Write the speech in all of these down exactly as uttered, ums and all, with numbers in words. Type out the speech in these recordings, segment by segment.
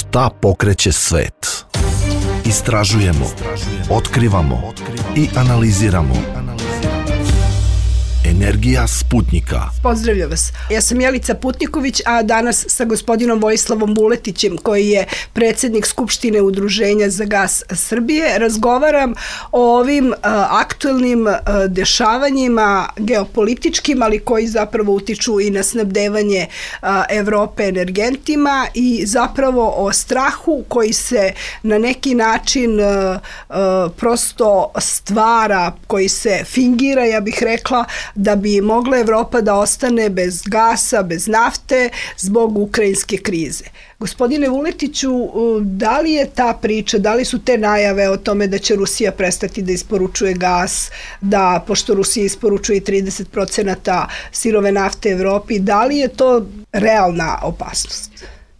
Šta pokreće svet? Istražujemo, otkrivamo i analiziramo. Energija Sputnjika. Pozdravljam vas. Ja sam Jelica Putniković, a danas sa gospodinom Vojislavom Vuletićem, koji je predsjednik Skupštine Udruženja za gas Srbije, razgovaram o ovim a, aktuelnim a, dešavanjima geopolitičkim, ali koji zapravo utiču i na snabdevanje a, Evrope energentima i zapravo o strahu koji se na neki način a, a, prosto stvara, koji se fingira, ja bih rekla, da bi mogla Evropa da ostane bez gasa, bez nafte zbog ukrajinske krize. Gospodine Vuletiću, da li je ta priča, da li su te najave o tome da će Rusija prestati da isporučuje gas, da pošto Rusija isporučuje trideset procenata sirove nafte Evropi, da li je to realna opasnost?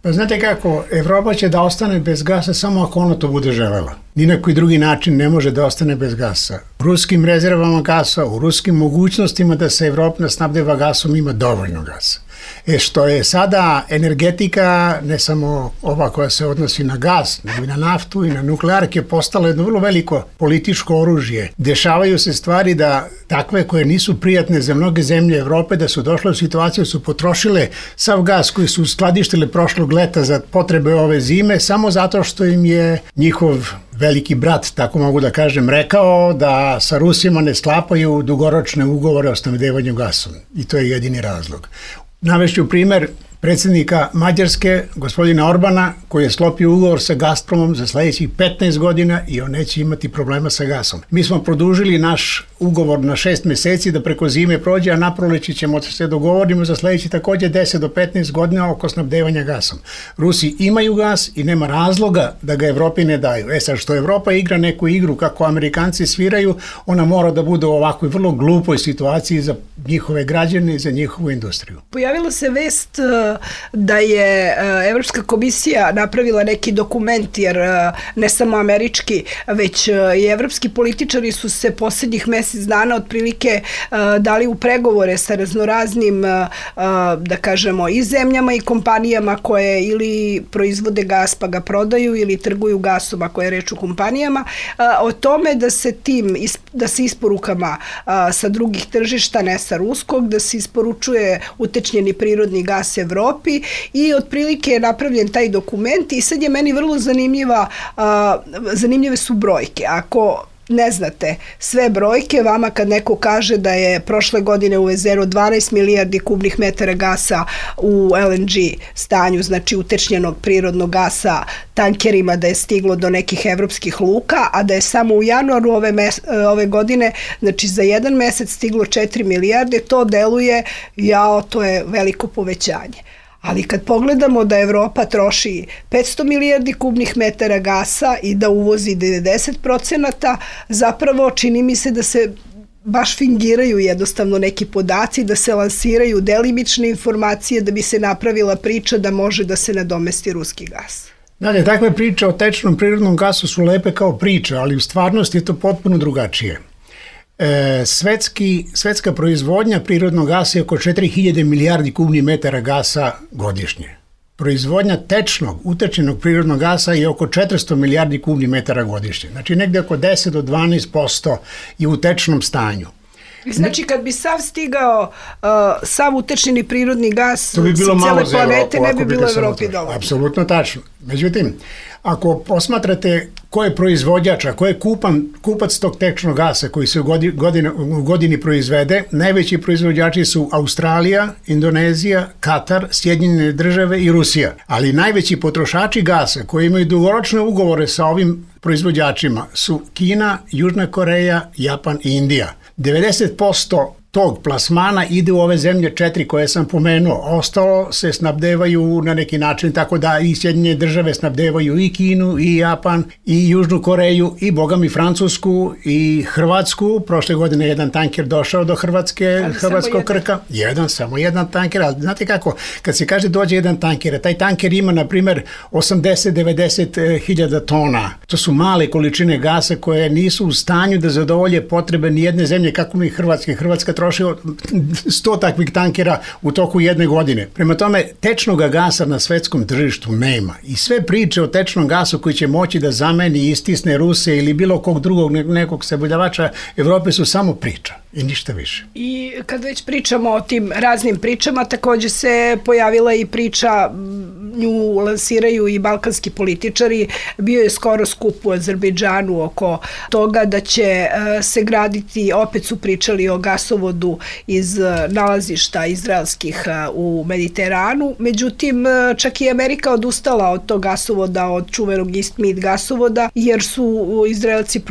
Pa znate kako, Evropa će da ostane bez gasa samo ako ona to bude želela. Ni na koji drugi način ne može da ostane bez gasa. U ruskim rezervama gasa, u ruskim mogućnostima da se Evropa snabdeva gasom ima dovoljno gasa. E što je sada energetika, ne samo ova koja se odnosi na gas, nego i na naftu i na nuklearke, postala jedno vrlo veliko političko oružje. Dešavaju se stvari da takve koje nisu prijatne za mnoge zemlje Evrope, da su došle u situaciju, su potrošile sav gas koji su skladištile prošlog leta za potrebe ove zime, samo zato što im je njihov veliki brat, tako mogu da kažem, rekao da sa Rusima ne sklapaju dugoročne ugovore o snabdevanju gasom. I to je jedini razlog. Navešću primer predsjednika Mađarske, gospodina Orbana, koji je sklopio ugovor sa Gazpromom za sljedećih petnaest godina i on neće imati problema sa gasom. Mi smo produžili naš ugovor na šest meseci da preko zime prođe, a na proleće ćemo se dogovorimo za sljedeći također deset do petnaest godina oko snabdevanja gasom. Rusi imaju gas i nema razloga da ga Evropi ne daju. E sad, što Evropa igra neku igru kako Amerikanci sviraju, ona mora da bude u ovakvoj vrlo glupoj situaciji za njihove građane i za njihovu industriju. Pojavila se vest da je Evropska komisija napravila neki dokument, jer ne samo američki, već i evropski političari su se posljednjih mjesec dana otprilike dali u pregovore sa raznoraznim, da kažemo, i zemljama i kompanijama koje ili proizvode gas pa ga prodaju ili trguju gasom, ako je reč o kompanijama, o tome da se tim, da se isporukama sa drugih tržišta, ne sa ruskog, da se isporučuje utečnjeni prirodni gas Evropi i otprilike je napravljen taj dokument i sad je meni vrlo zanimljiva, a, zanimljive su brojke. Ako ne znate sve brojke, vama kad neko kaže da je prošle godine uvezeno dvanaest milijardi kubnih metara gasa u L N G stanju, znači utečnjenog prirodnog gasa tankerima, da je stiglo do nekih evropskih luka, a da je samo u januaru ove, mes, ove godine, znači za jedan mesec stiglo četiri milijarde, to deluje, jao, to je veliko povećanje. Ali kad pogledamo da Evropa troši petsto milijardi kubnih metara gasa i da uvozi devedeset procenata, zapravo čini mi se da se baš fingiraju jednostavno neki podaci, da se lansiraju delimične informacije da bi se napravila priča da može da se nadomesti ruski gas. Dakle, takve priče o tečnom prirodnom gasu su lepe kao priče, ali u stvarnosti je to potpuno drugačije. E, svetski, svetska proizvodnja prirodnog gasa je oko četiri hiljade milijardi kubnih metara gasa godišnje. Proizvodnja tečnog, utečenog prirodnog gasa je oko četiristo milijardi kubnih metara godišnje. Znači negdje oko deset do dvanaest posto je u tečnom stanju. Znači kad bi sav stigao, uh, sav utečeni prirodni gas to bi bilo sa malo cijele planete, Evropu, ne bi bilo Evropi dovoljno. Apsolutno tačno. Međutim, ako posmatrate ko je proizvođač, a ko je kupan, kupac tog tečnog gasa koji se u godini, godini, u godini proizvede, najveći proizvođači su Australija, Indonezija, Katar, Sjedinjene države i Rusija. Ali najveći potrošači gasa koji imaju dugoročne ugovore sa ovim proizvođačima su Kina, Južna Koreja, Japan i Indija. devedeset posto tog plasmana ide u ove zemlje četiri koje sam pomenuo. Ostalo se snabdevaju na neki način tako da i Sjedinjene države snabdevaju i Kinu, i Japan, i Južnu Koreju, i bogami Francusku, i Hrvatsku. Prošle godine jedan tanker došao do Hrvatske, ali Hrvatskog Krka. Jedan, samo jedan tanker. Ali znate kako, kad se kaže dođe jedan tanker, taj tanker ima, na primjer, osamdeset do devedeset hiljada tona. To su male količine gasa koje nisu u stanju da zadovolje potrebe ni jedne zemlje, kako mi Hrvatske. Hrvatska trošio sto takvih tankera u toku jedne godine. Prema tome, tečnog gasa na svetskom tržištu nema. I sve priče o tečnom gasu koji će moći da zameni i istisne Ruse ili bilo kog drugog nekog saboljavača Evrope su samo priča i ništa više. I kad već pričamo o tim raznim pričama, takođe se pojavila i priča, nju lansiraju i balkanski političari, bio je skoro skup u Azerbejdžanu oko toga da će se graditi, opet su pričali o gasovodu iz nalazišta izraelskih u Mediteranu, međutim čak i Amerika odustala od tog gasovoda, od čuvenog East-Med gasovoda, jer su Izraelci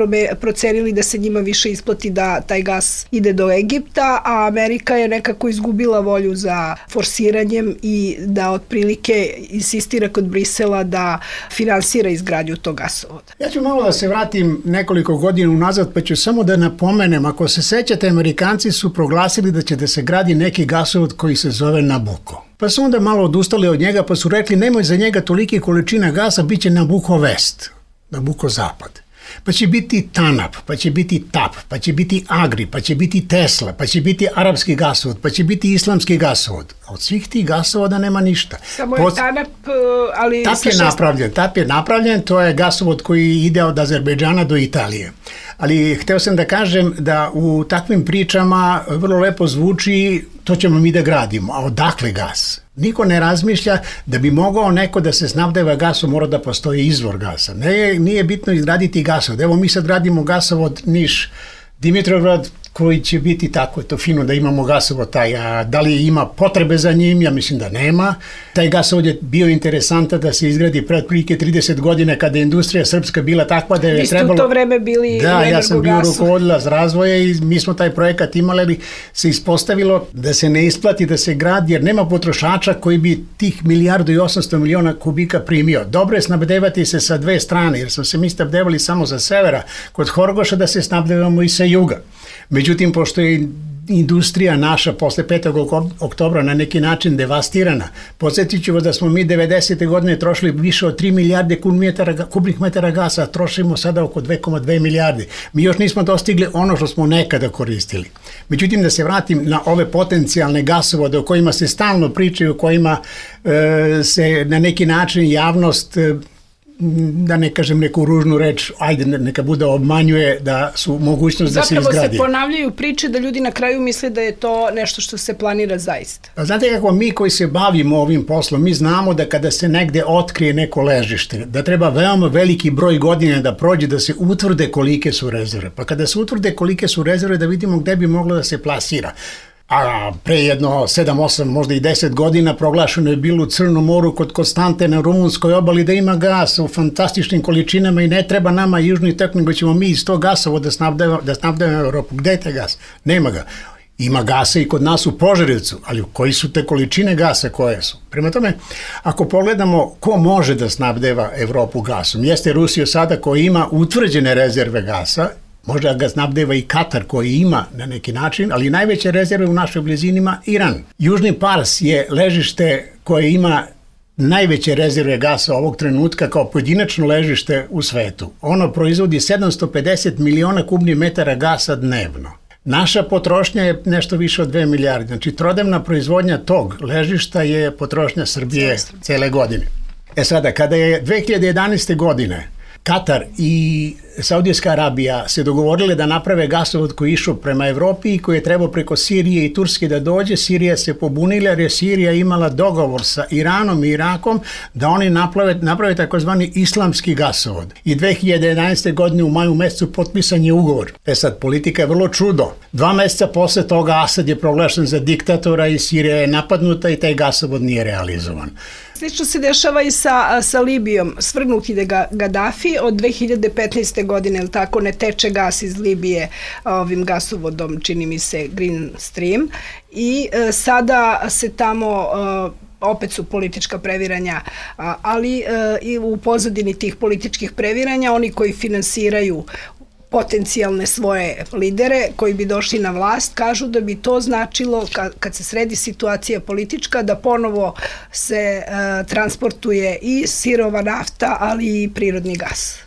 procenili da se njima više isplati da taj gas ide do Egipta, a Amerika je nekako izgubila volju za forsiranjem i da otprilike insistira kod Brisela da finansira izgradnju tog gasovoda. Ja ću malo da se vratim nekoliko godina unazad, pa ću samo da napomenem, ako se sećate, Amerikanci su proglasili da će da se gradi neki gasovod koji se zove Nabucco. Pa su onda malo odustali od njega, pa su rekli nemoj za njega tolike količina gasa, bit će Nabucco West, Nabucco Zapad. Pa će biti TANAP, pa će biti TAP, pa će biti Agri, pa će biti Tesla, pa će biti arapski gasovod, pa će biti islamski gasovod. A od svih tih gasovoda nema ništa. Samo je Pod... TANAP, ali... TAP je šest... napravljen, TAP je napravljen, to je gasovod koji ide od Azerbejdžana do Italije. Ali hteo sam da kažem da u takvim pričama vrlo lepo zvuči to ćemo mi da gradimo, a odakle gas? Niko ne razmišlja da bi mogao neko da se snabdeva gasom, mora da postoji izvor gasa. Ne, nije bitno izgraditi gasovod. Evo mi sad gradimo gasovod Niš, Dimitrovgrad, koji će biti tako, to fino da imamo gasovod taj, a da li ima potrebe za njim, ja mislim da nema. Taj gasovod je bio interesantan da se izgradi pred prilike trideset godine kada je industrija srpska bila takva da je trebalo... Vi ste u to vreme bili da, ja sam bio rukovodilac razvoja i mi smo taj projekat imali, ali se ispostavilo da se ne isplati da se gradi, jer nema potrošača koji bi tih milijardu i osamsto miliona kubika primio. Dobro je snabdevati se sa dve strane, jer smo se mi snabdevali samo sa severa, kod Horgoša da se snabdevamo i sa juga. Međutim, pošto je industrija naša posle petog oktobra na neki način devastirana, podsjetit ću vas da smo mi devedesete godine trošili više od tri milijarde kubnih metara gasa, a trošimo sada oko dve zarez dve milijarde. Mi još nismo dostigli ono što smo nekada koristili. Međutim, da se vratim na ove potencijalne gasovode o kojima se stalno pričaju, o kojima e, se na neki način javnost e, da ne kažem neku ružnu reč, ajde neka bude obmanjuje da su mogućnost da se izgradi. Zapravo se ponavljaju priče da ljudi na kraju misle da je to nešto što se planira zaista. A znate kako mi koji se bavimo ovim poslom, mi znamo da kada se negde otkrije neko ležište, da treba veoma veliki broj godina da prođe da se utvrde kolike su rezerve. Pa kada se utvrde kolike su rezerve da vidimo gde bi moglo da se plasira. A pre jedno sedam, osam, možda i deset godina proglašeno je bilo u Crnom moru kod Konstante na rumunskoj obali da ima gas u fantastičnim količinama i ne treba nama južni tok, nego ćemo mi iz tog gasovoda da snabdevamo da snabdevamo Evropu. Gde je taj gas? Nema ga. Ima gasa i kod nas u Požarevcu, ali koji su te količine gasa koje su? Prema tome, ako pogledamo ko može da snabdeva Evropu gasom, jeste Rusija sada koja ima utvrđene rezerve gasa, možda ga snabdeva i Katar koji ima na neki način, ali najveće rezerve u našoj blizini ima Iran. Južni Pars je ležište koje ima najveće rezerve gasa ovog trenutka kao pojedinačno ležište u svetu. Ono proizvodi sedamsto pedeset miliona kubnih metara gasa dnevno. Naša potrošnja je nešto više od dve milijarde. Znači, trodnevna proizvodnja tog ležišta je potrošnja Srbije cele godine. E sada, kada je dve hiljade jedanaeste. godine Katar i Saudijska Arabija se dogovorile da naprave gasovod koji je išao prema Evropi i koji je trebao preko Sirije i Turske da dođe, Sirija se pobunila jer je Sirija imala dogovor sa Iranom i Irakom da oni naprave, naprave takozvani islamski gasovod. I dve hiljade jedanaeste. godine u maju mesecu potpisan je ugovor. E sad, politika je vrlo čudo. Dva meseca posle toga Asad je proglašen za diktatora i Sirija je napadnuta i taj gasovod nije realizovan. Slično se dešava i sa, sa Libijom. Svrgnut ide Gaddafi od dve hiljade petnaeste. godine, ili tako, ne teče gas iz Libije ovim gasovodom, čini mi se Green Stream, i e, sada se tamo e, opet su politička previranja, ali e, i u pozadini tih političkih previranja oni koji finansiraju potencijalne svoje lidere koji bi došli na vlast, kažu da bi to značilo kad se sredi situacija politička da ponovo se e, transportuje i sirova nafta, ali i prirodni gas.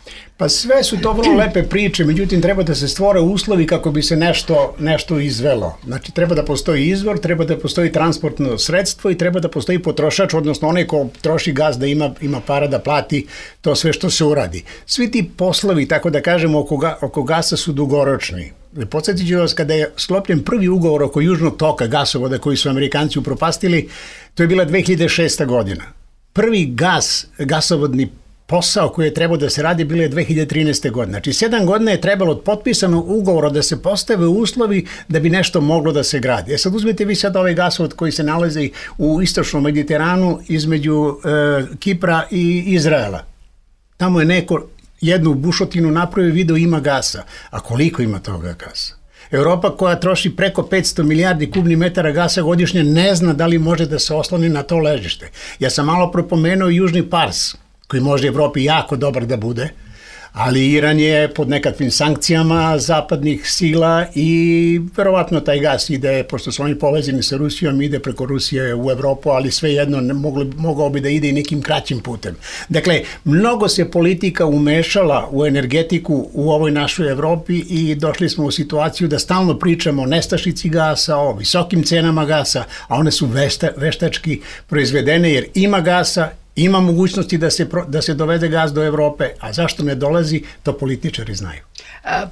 Pa sve su to vrlo lepe priče, međutim treba da se stvore uslovi kako bi se nešto, nešto izvelo. Znači treba da postoji izvor, treba da postoji transportno sredstvo i treba da postoji potrošač, odnosno onaj ko troši gas da ima, ima para da plati to sve što se uradi. Svi ti poslovi, tako da kažemo, oko, ga, oko gasa su dugoročni. Podsjetit ću vas, kada je sklopljen prvi ugovor oko Južnog toka gasovoda koji su Amerikanci upropastili, to je bila dve hiljade šesta godina. Prvi gas, gasovodni posao koji je trebao da se radi bilo je dve hiljade trinaeste. godine. Znači, sedam godina je trebalo od potpisanog ugovora da se postave uslovi da bi nešto moglo da se gradi. E sad uzmete vi sad ovaj gasovod koji se nalazi u istočnom Mediteranu između e, Kipra i Izraela. Tamo je neko jednu bušotinu napravio, video ima gasa. A koliko ima toga gasa? Europa koja troši preko petsto milijardi kubnih metara gasa godišnje ne zna da li može da se osloni na to ležište. Ja sam malo propomenuo Južni Pars, koji može Evropi jako dobar da bude, ali Iran je pod nekakvim sankcijama zapadnih sila i verovatno taj gas ide, pošto su oni povezani sa Rusijom, ide preko Rusije u Evropu, ali svejedno moglo, mogao bi da ide i nekim kraćim putem. Dakle, mnogo se politika umešala u energetiku u ovoj našoj Evropi i došli smo u situaciju da stalno pričamo o nestašici gasa, o visokim cenama gasa, a one su vešta, veštački proizvedene jer ima gasa, ima mogućnosti da se, da se dovede gas do Evrope, a zašto ne dolazi, to političari znaju.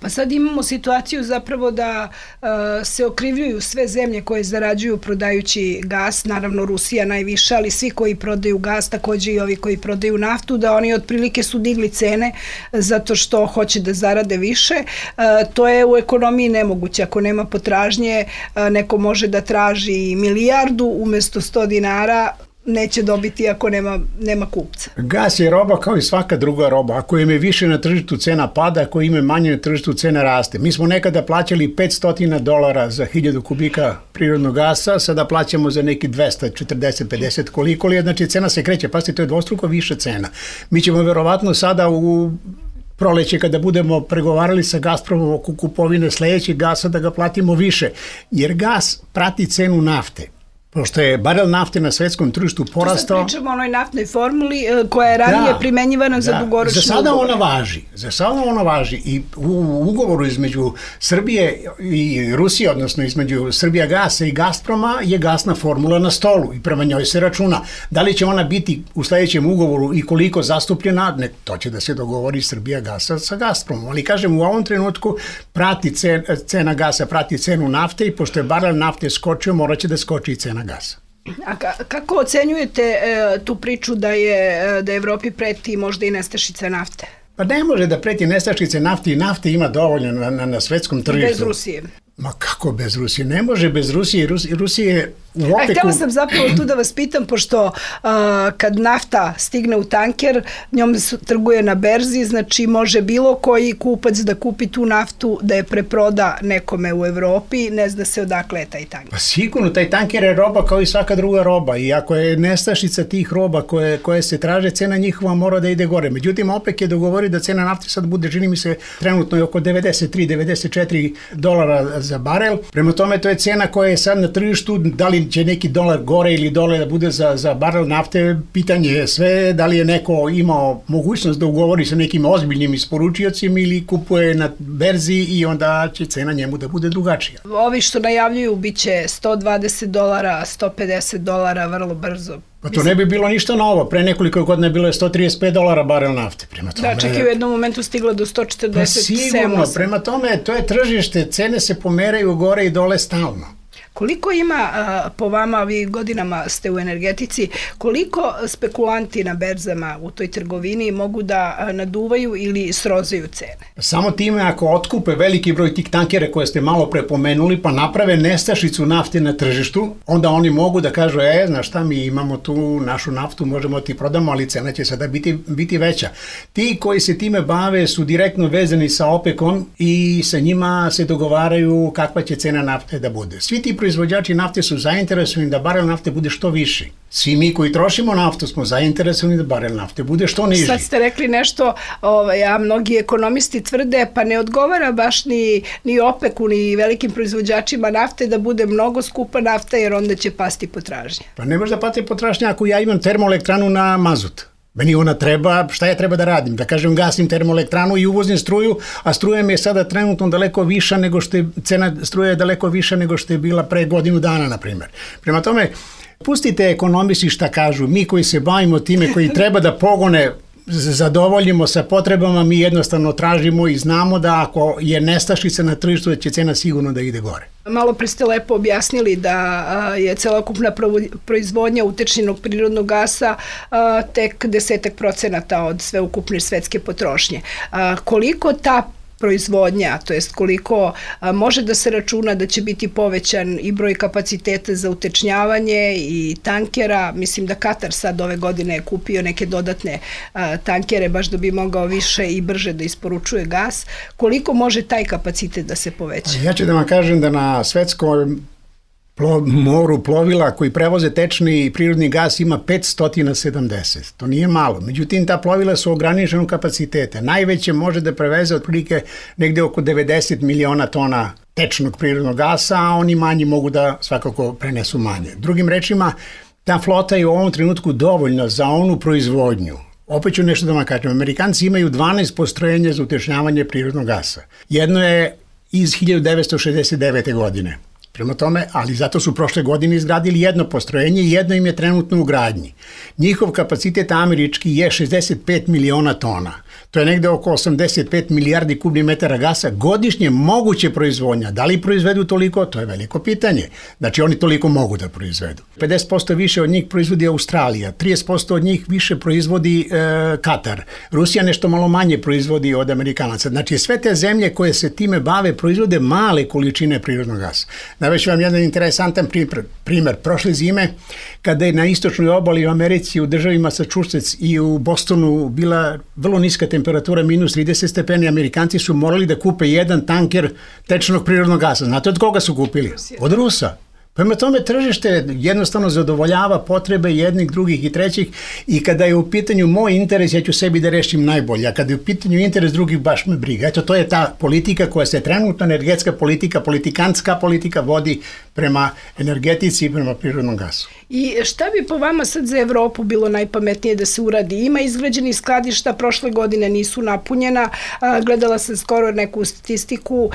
Pa sad imamo situaciju zapravo da uh, se okrivljuju sve zemlje koje zarađuju prodajući gas, naravno Rusija najviše, ali svi koji prodaju gas, takođe i ovi koji prodaju naftu, da oni otprilike su digli cene zato što hoće da zarade više. Uh, to je u ekonomiji nemoguće. Ako nema potražnje, uh, neko može da traži milijardu umesto sto dinara, neće dobiti ako nema, nema kupca. Gas je roba kao i svaka druga roba. Ako im je više na tržištu, cena pada, ako im je manje na tržištu, cena raste. Mi smo nekada plaćali petsto dolara za hiljadu kubika prirodnog gasa, sada plaćamo za neki dvesta četrdeset pedeset koliko li je, znači cena se kreće, pazite, to je dvostruko više cena. Mi ćemo verovatno sada u proleće kada budemo pregovarali sa Gazpromom oko kupovine sledećeg gasa da ga platimo više, jer gas prati cenu nafte. Pošto je barel nafte na svetskom tržištu porastao... Tu sad pričamo o onoj naftnoj formuli koja je ranije da, primenjivana da. za dugoročni Za sada ugovor. ona važi. Za sada ona važi. I u ugovoru između Srbije i Rusije, odnosno između Srbija gasa i Gazproma, je gasna formula na stolu i prema njoj se računa. Da li će ona biti u sledećem ugovoru i koliko zastupljena, ne, to će da se dogovori Srbija gasa sa Gazpromom. Ali kažem, u ovom trenutku prati cena, cena gasa, prati cenu nafte i pošto je barel nafte skočio, morat će da skoči i cena gasa. A kako ocenjujete e, tu priču da je da Evropi preti možda i nestašica nafte? Pa ne može da preti nestašice nafte i nafte ima dovoljno na, na, na svetskom tržištu. Bez Rusije. Ma kako bez Rusije? Ne može bez Rusije. Rusije, Rusije u opeku... A htjela sam zapravo tu da vas pitam, pošto uh, kad nafta stigne u tanker, njom se trguje na berzi, znači može bilo koji kupac da kupi tu naftu, da je preproda nekome u Evropi, ne zna se odakle je taj tanker. Pa sigurno, taj tanker je roba kao i svaka druga roba i ako je nestašica tih roba koje, koje se traže, cena njihova mora da ide gore. Međutim, OPEC je dogovori da cena nafte sad bude, čini mi se, trenutno je oko devedeset tri do devedeset četiri dolara za barel. Prema tome, to je cena koja je sad na tržištu, da li će neki dolar gore ili dole da bude za, za barel nafte, pitanje je sve, da li je neko imao mogućnost da ugovori sa nekim ozbiljnim isporučiocima ili kupuje na berzi i onda će cena njemu da bude drugačija. Ovi što najavljuju biće sto dvadeset dolara, sto pedeset dolara vrlo brzo. Pa to ne bi bilo ništa novo. Pre nekoliko godina je bilo je sto trideset pet dolara barel nafte. Prema tome, da, čak i u jednom momentu stiglo do sto četrdeset sedam. Pa sigurno, prema tome to je tržište, cene se pomeraju gore i dole stalno. Koliko ima, po vama, vi godinama ste u energetici, koliko spekulanti na berzama u toj trgovini mogu da naduvaju ili srozaju cene? Samo time ako otkupe veliki broj tih tankera koje ste malo pre pomenuli, pa naprave nestašicu nafte na tržištu, onda oni mogu da kažu, e, znaš šta, mi imamo tu našu naftu, možemo ti prodamo, ali cena će sada biti, biti veća. Ti koji se time bave su direktno vezani sa OPEC-om i sa njima se dogovaraju kakva će cena nafte da bude. Svi ti proizvođači nafte su zainteresovani da barel nafte bude što viši. Svi mi koji trošimo naftu smo zainteresovani da barel nafte bude što niži. Sad ste rekli nešto, ovaj, a mnogi ekonomisti tvrde, pa ne odgovara baš ni, ni OPEC-u, ni velikim proizvođačima nafte da bude mnogo skupa nafta, jer onda će pasti potražnja. Pa ne može da pati potražnja ako ja imam termoelektranu na mazut. Meni ona treba, šta ja treba da radim? Da kažem, gasim termoelektranu i uvozim struju, a struja mi je sada trenutno daleko viša nego što je, cena struje je daleko viša nego što je bila pre godinu dana, na primjer. Prema tome, pustite ekonomisti šta kažu, mi koji se bavimo time, koji treba da pogone zadovoljimo sa potrebama, mi jednostavno tražimo i znamo da ako je nestašica na tržištu, da će cena sigurno da ide gore. Malo pre ste lepo objasnili da je celokupna proizvodnja utečnjenog prirodnog gasa tek desetak procenata od sveukupne svetske potrošnje. Koliko ta proizvodnja, to jest koliko a, može da se računa da će biti povećan i broj kapaciteta za utečnjavanje i tankera. Mislim da Katar sad ove godine je kupio neke dodatne a, tankere baš da bi mogao više i brže da isporučuje gas. Koliko može taj kapacitet da se poveća? Ja ću da vam kažem da na svetskom Plo, moru plovila koji prevoze tečni i prirodni gas ima petsto sedamdeset. To nije malo. Međutim, ta plovila su ograničenog kapaciteta. Najveće može da preveze otprilike negde oko devedeset miliona tona tečnog prirodnog gasa, a oni manji mogu da svakako prenesu manje. Drugim rečima, ta flota je u ovom trenutku dovoljna za onu proizvodnju. Opet ću nešto da vam kažem. Amerikanci imaju dvanaest postrojenja za utečnjavanje prirodnog gasa. Jedno je iz hiljadu devetsto šezdeset devete. godine. Prema tome, ali zato su prošle godine izgradili jedno postrojenje i jedno im je trenutno u gradnji. Njihov kapacitet američki je šezdeset pet miliona tona. To je negde oko osamdeset pet milijardi kubnih metara gasa godišnje moguće proizvodnja. Da li proizvedu toliko? To je veliko pitanje. Znači oni toliko mogu da proizvedu. pedeset posto više od njih proizvodi Australija, trideset posto od njih više proizvodi e, Katar. Rusija nešto malo manje proizvodi od Amerikanaca. Znači sve te zemlje koje se time bave proizvode male količine prirodnog gasa. Navešću vam jedan interesantan primer. Prošle zime, kada je na istočnoj obali u Americi, u državi Massachusetts i u Bostonu bila vrlo niska temperatura, minus trideset stepeni, Amerikanci su morali da kupe jedan tanker tečnog prirodnog gasa. Znate od koga su kupili? Od Rusa. Prema tome, tržište jednostavno zadovoljava potrebe jednih, drugih i trećih i kada je u pitanju moj interes, ja ću sebi da rešim najbolje, a kada je u pitanju interes drugih, baš me briga. Eto, to je ta politika koja se trenutno, energetska politika, politikantska politika vodi prema energetici i prema prirodnom gasu. I šta bi po vama sad za Evropu bilo najpametnije da se uradi? Ima izgrađenih skladišta, prošle godine nisu napunjena, gledala sam skoro neku statistiku,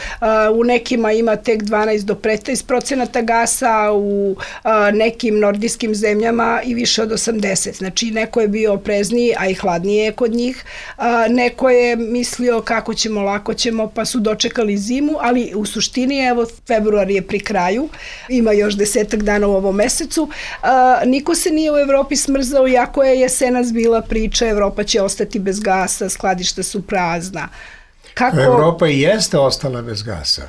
u nekima ima tek dvanaest do petnaest procenata gasa, u nekim nordijskim zemljama i više od osamdeset. Znači, neko je bio oprezniji, a i hladnije je kod njih. Neko je mislio kako ćemo, lako ćemo, pa su dočekali zimu, ali u suštini, evo, februar je pri kraju, ima još desetak dana u ovom mesecu. Niko se nije u Evropi smrzao, iako je jesenas bila priča, Evropa će ostati bez gasa, skladišta su prazna. Kako... Evropa i jeste ostala bez gasa.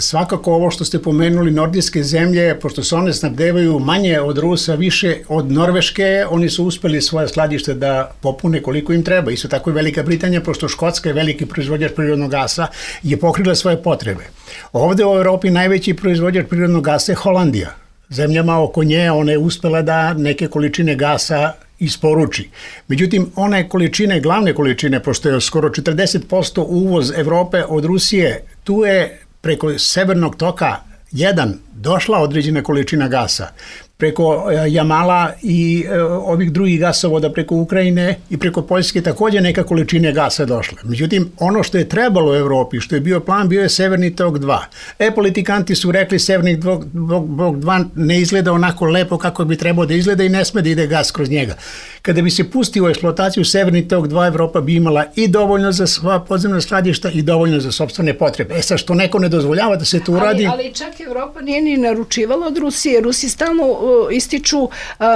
Svakako ovo što ste pomenuli, nordijske zemlje, pošto se one snabdevaju manje od Rusa, više od Norveške, oni su uspeli svoje skladište da popune koliko im treba. Isto tako i Velika Britanija, pošto Škotska je veliki proizvođač prirodnog gasa, je pokrila svoje potrebe. Ovde u Evropi najveći proizvođač prirodnog gasa je Holandija. Zemljama oko nje ona je uspela da neke količine gasa isporuči. Međutim, one količine, glavne količine, pošto je skoro četrdeset posto uvoz Evrope od Rusije, tu je preko Severnog toka jedan došla određena količina gasa. Preko Jamala i ovih drugih gasovoda preko Ukrajine i preko Poljske takođe neka količine gasa došla. Međutim, ono što je trebalo u Evropi, što je bio plan, bio je Severni tok dva. E, politikanti su rekli Severni tok dva ne izgleda onako lepo kako bi trebao da izgleda i ne sme da ide gas kroz njega. Kada bi se pustio u eksploataciju Severni tok dva, Evropa bi imala i dovoljno za sva podzemna skladišta i dovoljno za sopstvene potrebe. E sad, što neko ne dozvoljava da se to uradi... Ali, ali čak Evropa nije ni naručivala od Rusije. Rusi stalno ističu,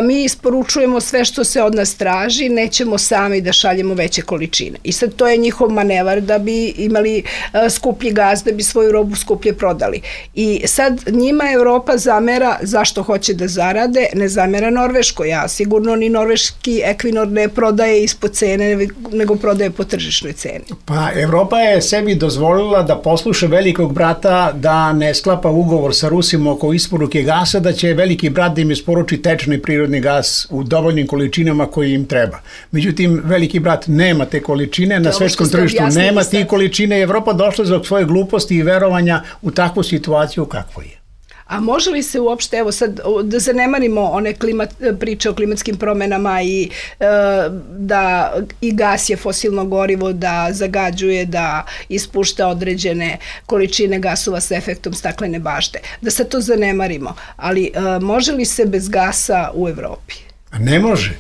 mi isporučujemo sve što se od nas traži, nećemo sami da šaljemo veće količine. I sad to je njihov manevar da bi imali skuplji gaz, da bi svoju robu skuplje prodali. I sad njima Evropa zamera zašto hoće da zarade, ne zamera Norveško. Ja sigurno ni norveški Equinor ne prodaje ispod cene, nego prodaje po tržišnoj ceni. Pa Evropa je sebi dozvolila da posluša velikog brata da ne sklapa ugovor sa Rusima oko isporuke gasa, da će veliki brat da im isporuči tečni prirodni gas u dovoljnim količinama koji im treba. Međutim, veliki brat nema te količine, na svetskom tržištu nema te količine. Evropa došla zbog svoje gluposti i verovanja u takvu situaciju kakvu je. A može li se uopšte, evo sad, da zanemarimo one klimat, priče o klimatskim promenama i e, da i gas je fosilno gorivo, da zagađuje, da ispušta određene količine gasova sa efektom staklene bašte. Da sad to zanemarimo, ali e, može li se bez gasa u Evropi? Ne može.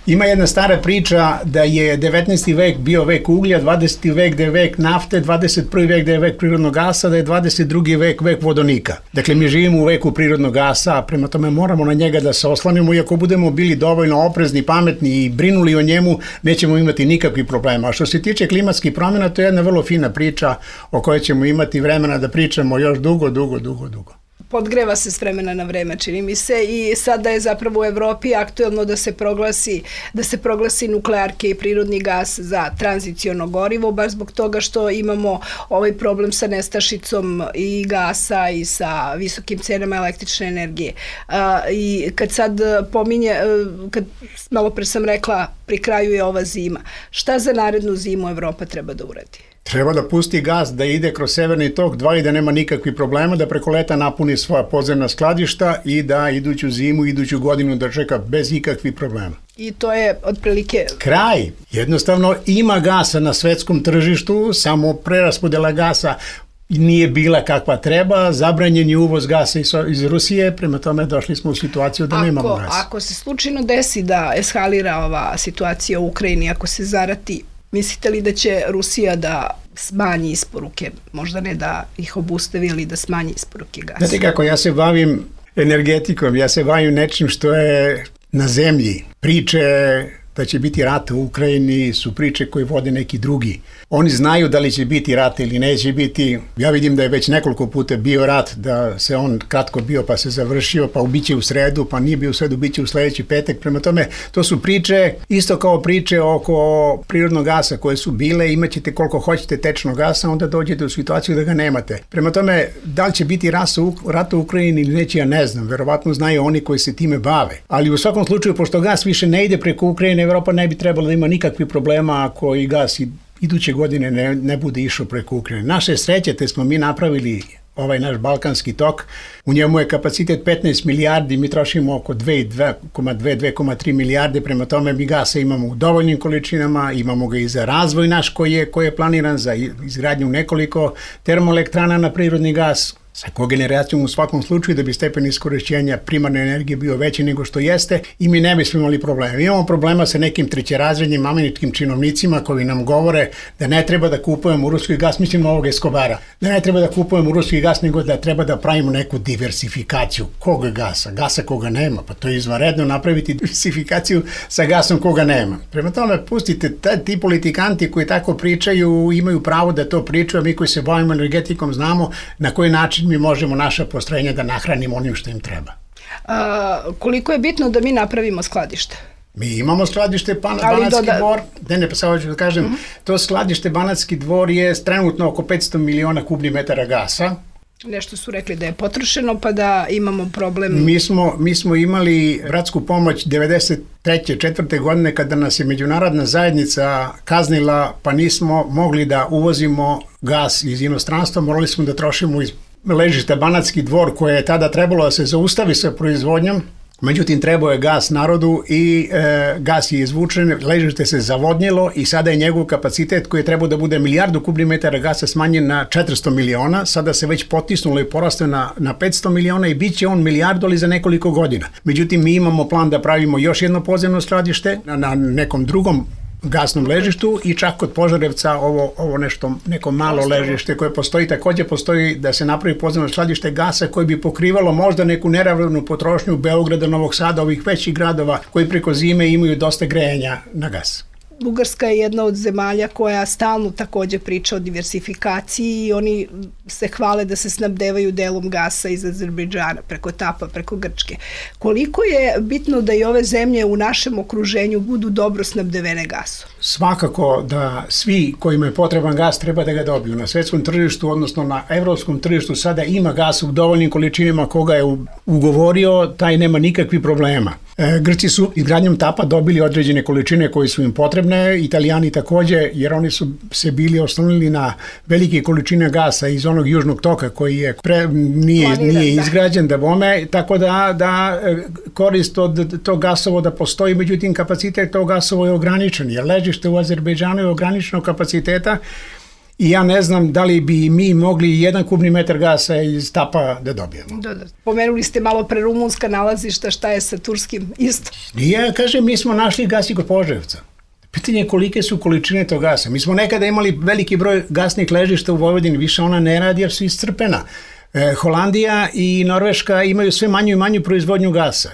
Ima jedna stara priča da je devetnaesti vek bio vek uglja, dvadeseti vek da je vek nafte, dvadeset prvi vek da je vek prirodnog gasa, da je dvadeset drugi vek vek vodonika. Dakle, mi živimo u veku prirodnog gasa, prema tome moramo na njega da se oslanimo i ako budemo bili dovoljno oprezni, pametni i brinuli o njemu, nećemo imati nikakvih problema. A što se tiče klimatskih promjena, to je jedna vrlo fina priča o kojoj ćemo imati vremena da pričamo još dugo, dugo, dugo, dugo. Podgreva se s vremena na vreme, čini mi se, i sada je zapravo u Evropi aktuelno da se proglasi da se proglasi nuklearke i prirodni gas za tranziciono gorivo, baš zbog toga što imamo ovaj problem sa nestašicom i gasa i sa visokim cenama električne energije. A, i kad sad pominje, kad malo pre sam rekla, pri kraju je ova zima, šta za narednu zimu Evropa treba da uradi? Treba da pusti gas, da ide kroz severni tok dva i da nema nikakvih problema, da preko leta napuni svoja podzemna skladišta i da iduću zimu, iduću godinu da čeka bez ikakvih problema. I to je otprilike... Kraj. Jednostavno ima gasa na svetskom tržištu, samo preraspodela gasa nije bila kakva treba, zabranjen je uvoz gasa iz Rusije, prema tome došli smo u situaciju da ako, nemamo gasa. Ako se slučajno desi da eskalira ova situacija u Ukrajini, ako se zarati, mislite li da će Rusija da smanji isporuke, možda ne da ih obustavi, ali da smanji isporuke gasa? Znate kako, ja se bavim energetikom, ja se bavim nečim što je na zemlji. Priče da će biti rat u Ukrajini su priče koje vode neki drugi. Oni znaju da li će biti rat ili neće biti. Ja vidim da je već nekoliko puta bio rat, da se on kratko bio pa se završio, pa biće u sredu, pa nije bio u sredu, biće u sledeći petak. Prema tome, to su priče, isto kao priče oko prirodnog gasa koje su bile, imaćete koliko hoćete tečnog gasa, onda dođete u situaciju da ga nemate. Prema tome, da li će biti rat u Ukrajini ili neće, ja ne znam. Verovatno znaju oni koji se time bave. Ali u svakom slučaju, pošto gas više ne ide preko Ukrajine, Evropa ne bi trebalo da ima nikakvih problema ako i gas iduće godine ne, ne bude išao preko Ukrajine. Naše sreće, te smo mi napravili ovaj naš Balkanski tok, u njemu je kapacitet petnaest milijardi, mi trošimo oko dve zarez dve do dve zarez tri milijarde, prema tome mi gasa imamo u dovoljnim količinama, imamo ga i za razvoj naš koji je, koji je planiran za izgradnju nekoliko termoelektrana na prirodni gas, sa kogeneracijom u svakom slučaju da bi stepen iskorišćenja primarne energije bio veći nego što jeste i mi ne bismo imali problema. Imamo problema sa nekim trećerazrednim američkim činovnicima koji nam govore da ne treba da kupujemo ruski gas, mislim ovog Escobara, da ne treba da kupujemo ruski gas, nego da treba da pravimo neku diversifikaciju. Koga gasa? Gasa koga nema. Pa to je izvanredno napraviti diversifikaciju sa gasom koga nema. Prema tome, pustite, ti politikanti koji tako pričaju imaju pravo da to pričaju, a mi koji se bavimo energetikom znamo na koji način mi možemo naša postrojenja da nahranimo onim što im treba. A, koliko je bitno da mi napravimo skladište? Mi imamo skladište pa, Banatski doda... dvor, ne ne pa samo ću da kažem, uh-huh. to skladište Banatski dvor je trenutno oko petsto miliona kubnih metara gasa. Nešto su rekli da je potrošeno pa da imamo problem. Mi smo, mi smo imali bratsku pomoć devedeset treće četvrte godine kada nas je međunarodna zajednica kaznila pa nismo mogli da uvozimo gas iz inostranstva, morali smo da trošimo iz ležišta Banatski dvor koje je tada trebalo da se zaustavi sa proizvodnjom. Međutim, trebao je gas narodu i e, gas je izvučen, ležište se zavodnjelo i sada je njegov kapacitet koji je trebao da bude milijardu kubnih metara gasa smanjen na četiristo miliona, sada se već potisnulo i porastao na, na petsto miliona i bit će on milijardu, ali za nekoliko godina. Međutim, mi imamo plan da pravimo još jedno podzemno skladište na, na nekom drugom gasnom ležištu i čak kod Požarevca ovo, ovo nešto, neko malo ležište koje postoji, takođe postoji da se napravi podzemno skladište gasa koje bi pokrivalo možda neku neravnovjernu potrošnju Beograda, Novog Sada, ovih većih gradova koji preko zime imaju dosta grejanja na gas. Bugarska je jedna od zemalja koja stalno takođe priča o diversifikaciji i oni se hvale da se snabdevaju delom gasa iz Azerbejdžana, preko Tapa, preko Grčke. Koliko je bitno da i ove zemlje u našem okruženju budu dobro snabdevene gasom? Svakako da svi kojima je potreban gas treba da ga dobiju. Na svetskom tržištu, odnosno na evropskom tržištu sada ima gas u dovoljnim količinama koga je ugovorio, taj nema nikakvih problema. Grci su izgradnjom tapa dobili određene količine koje su im potrebne, Italijani takođe, jer oni su se bili oslonili na velike količine gasa iz onog južnog toka koji je pre, nije, nije izgrađen da bome, tako da, da korist od tog gasovoda postoji, međutim kapacitet tog gasovoda je ograničen, jer ležište u Azerbejdžanu je ograničenog kapaciteta i ja ne znam da li bi mi mogli jedan kubni metar gasa iz tapa da dobijemo. Da, da. Pomenuli ste malo pre rumunska nalazišta, šta je sa turskim isto? Ja kažem, mi smo našli gas i kod Požarevca. Pitanje je kolike su količine tog gasa. Mi smo nekada imali veliki broj gasnih ležišta u Vojvodini, više ona ne radi jer su iscrpena. E, Holandija i Norveška imaju sve manju i manju proizvodnju gasa.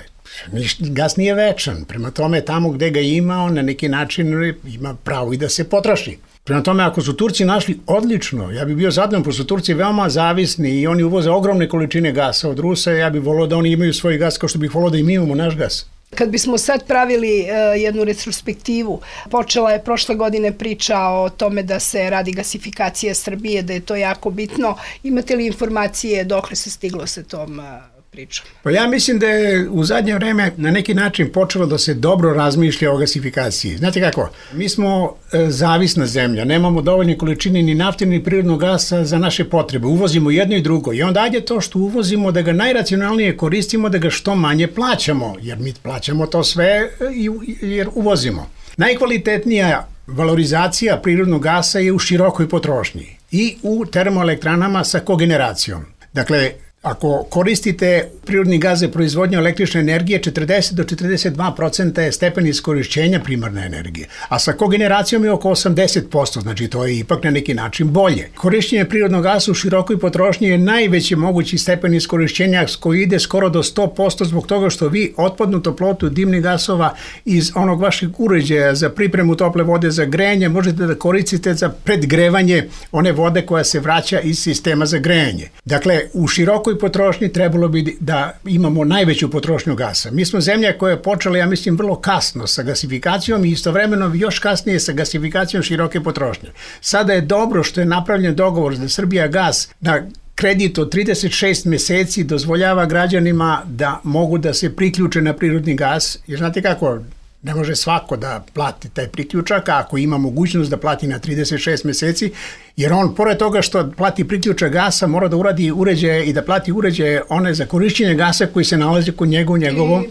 Gas nije večan, prema tome tamo gde ga ima, on na neki način ima pravo i da se potroši. Prema tome, ako su Turci našli odlično, ja bih bio zadovoljan, pošto su Turci veoma zavisni i oni uvoze ogromne količine gasa od Rusa, ja bih volio da oni imaju svoj gas kao što bih volio da i mi imamo naš gas. Kad bismo sad pravili uh, jednu retrospektivu, počela je prošle godine priča o tome da se radi gasifikacija Srbije, da je to jako bitno. Imate li informacije dokle se stiglo sa tom uh, pričom? Pa ja mislim da je u zadnje vreme na neki način počelo da se dobro razmišlja o gasifikaciji. Znate kako? Mi smo e, zavisna zemlja, nemamo dovoljne količine ni nafte ni prirodnog gasa za naše potrebe. Uvozimo jedno i drugo i onda ajde to što uvozimo da ga najracionalnije koristimo, da ga što manje plaćamo, jer mi plaćamo to sve jer uvozimo. Najkvalitetnija valorizacija prirodnog gasa je u širokoj potrošnji i u termoelektranama sa kogeneracijom. Dakle, ako koristite prirodni gas za proizvodnju električne energije, četrdeset do četrdeset dva procenta je stepen iskorišćenja primarne energije, a sa kogeneracijom je oko osamdeset posto, znači to je ipak na neki način bolje. Korišćenje prirodnog gasa u širokoj potrošnji je najveći mogući stepen iskorišćenja koji ide skoro do sto posto zbog toga što vi otpadnu toplotu dimnih gasova iz onog vašeg uređaja za pripremu tople vode za grejanje možete da koristite za predgrevanje one vode koja se vraća iz sistema za grejanje. Dakle, u širokoj potrošnji trebalo bi da imamo najveću potrošnju gasa. Mi smo zemlja koja je počela, ja mislim, vrlo kasno sa gasifikacijom i istovremeno još kasnije sa gasifikacijom široke potrošnje. Sada je dobro što je napravljen dogovor da Srbija gas na kredit od trideset šest meseci dozvoljava građanima da mogu da se priključe na prirodni gas, jer znate kako, ne može svako da plati taj priključak, a ako ima mogućnost da plati na trideset šest meseci, jer on, pored toga što plati priključak gasa, mora da uradi uređaje i da plati uređaje one za korišćenje gasa koji se nalaze kod njega u njegovom...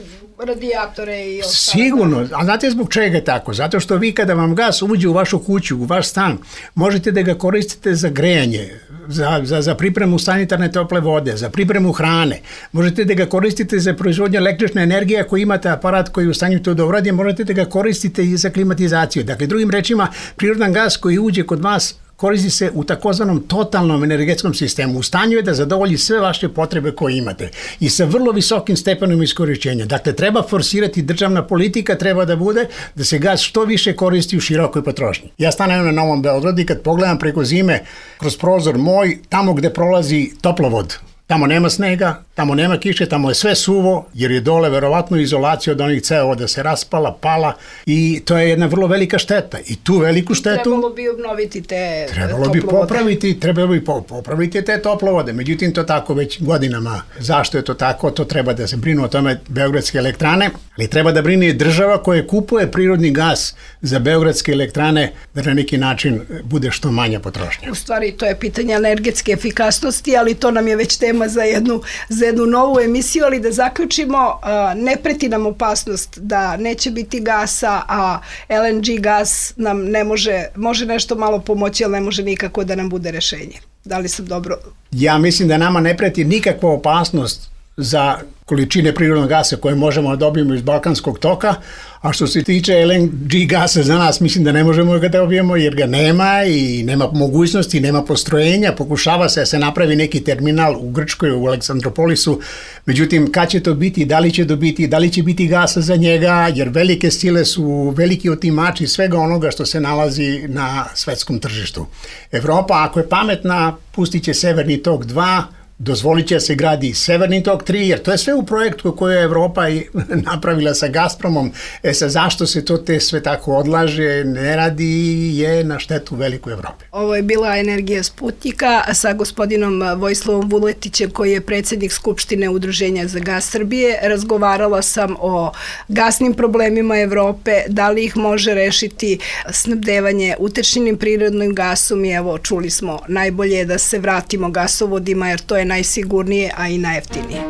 radijatore i ostalo. Sigurno, a znate zbog čega je tako? Zato što vi kada vam gas uđe u vašu kuću, u vaš stan, možete da ga koristite za grejanje, za, za, za pripremu sanitarne tople vode, za pripremu hrane, možete da ga koristite za proizvodnju električne energije, ako imate aparat koji je u stanju to da uradi, možete da ga koristite i za klimatizaciju. Dakle, drugim rečima, prirodan gas koji uđe kod vas koristi se u takozvanom totalnom energetskom sistemu. U stanju je da zadovolji sve vaše potrebe koje imate i sa vrlo visokim stepenom iskorišćenja. Dakle, treba forsirati, državna politika treba da bude da se gas što više koristi u širokoj potrošnji. Ja stanem na Novom Beogradu i kad pogledam preko zime kroz prozor moj, tamo gde prolazi toplovod, tamo nema snega, tamo nema kiše, tamo je sve suvo, jer je dole verovatno izolacija od onih cevovoda se raspala, pala i to je jedna vrlo velika šteta. I tu veliku štetu... Trebalo bi obnoviti te Trebalo bi popraviti, trebalo bi popraviti te toplovode. Međutim, to tako već godinama. Zašto je to tako? To treba da se brinu o tome beogradske elektrane, ali treba da brine država koja kupuje prirodni gas za beogradske elektrane da na neki način bude što manja potrošnja. U stvari, to je pitanje energetske efikasnosti, ali to nam je već tema za jednu, za jednu novu emisiju, ali da zaključimo, ne preti nam opasnost da neće biti gasa, a el en ge gas nam ne može, može nešto malo pomoći, ali ne može nikako da nam bude rešenje. Da li sam dobro? Ja mislim da nama ne preti nikakva opasnost za količine prirodnog gasa koje možemo da dobijemo iz Balkanskog toka, a što se tiče el en ge gasa za nas, mislim da ne možemo ga dobijemo jer ga nema i nema mogućnosti, nema postrojenja, pokušava se da se napravi neki terminal u Grčkoj, u Aleksandropolisu, međutim, kad će to biti, da li će to biti, da li će biti gasa za njega, jer velike sile su veliki otimači svega onoga što se nalazi na svetskom tržištu. Evropa, ako je pametna, pustit će Severni tok dva, Dozvolit će se gradi i Severni tok tri, jer to je sve u projektu koju je Evropa i napravila sa Gazpromom. E sa zašto se to te sve tako odlaže, ne radi, je na štetu veliku Evrope. Ovo je bila Energija Sputnika sa gospodinom Vojislavom Vuletićem, koji je predsjednik Skupštine Udruženja za gas Srbije. Razgovarala sam o gasnim problemima Evrope, da li ih može rešiti snabdevanje utečnim prirodnim gasom i evo, čuli smo, najbolje je da se vratimo gasovodima jer to je najsigurnije, a i najjeftinije.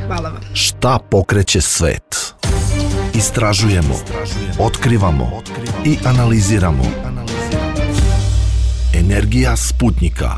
Hvala vam. Šta pokreće svet? Istražujemo, otkrivamo i analiziramo. Energija Sputnika.